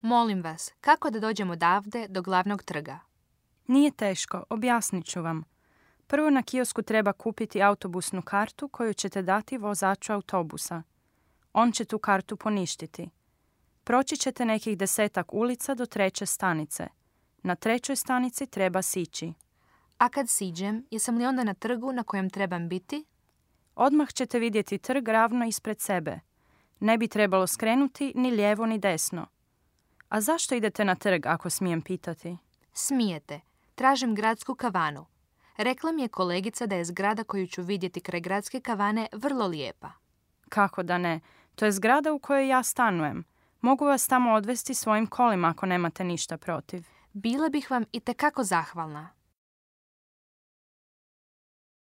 Molim vas, kako da dođem odavde do glavnog trga? Nije teško, objasnit ću vam. Prvo na kiosku treba kupiti autobusnu kartu koju ćete dati vozaču autobusa. On će tu kartu poništiti. Proći ćete nekih 10 ulica do 3. stanice. Na 3. stanici treba sići. A kad siđem, jesam li onda na trgu na kojem trebam biti? Odmah ćete vidjeti trg ravno ispred sebe. Ne bi trebalo skrenuti ni lijevo ni desno. A zašto idete na trg, ako smijem pitati? Smijete. Tražim gradsku kavanu. Rekla mi je kolegica da je zgrada koju ću vidjeti kraj gradske kavane vrlo lijepa. Kako da ne? To je zgrada u kojoj ja stanujem. Mogu vas tamo odvesti svojim kolima ako nemate ništa protiv. Bila bih vam itekako zahvalna.